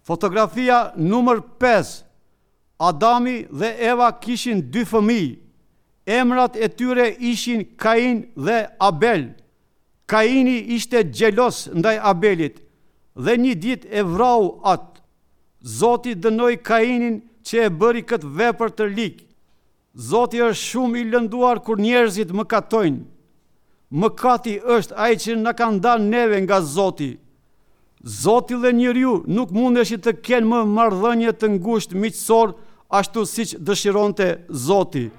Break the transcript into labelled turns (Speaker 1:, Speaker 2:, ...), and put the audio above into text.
Speaker 1: Fotografia numër 5. Adami dhe Eva kishin dy fëmijë. Emrat e tyre ishin Kain dhe Abel. Kaini ishte xheloz ndaj Abelit dhe një ditë e vrau atë. Zoti dënoi Kainin që e bëri këtë vepër të ligë. Zoti është shumë i lënduar kur njerëzit mëkatojnë. Mëkati është ai që na ka ndarë neve nga Zoti. Zoti dhe njeriu nuk mundeshin të kenë më marrëdhënie të ngushtë miqësor ashtu siç dëshironte Zoti.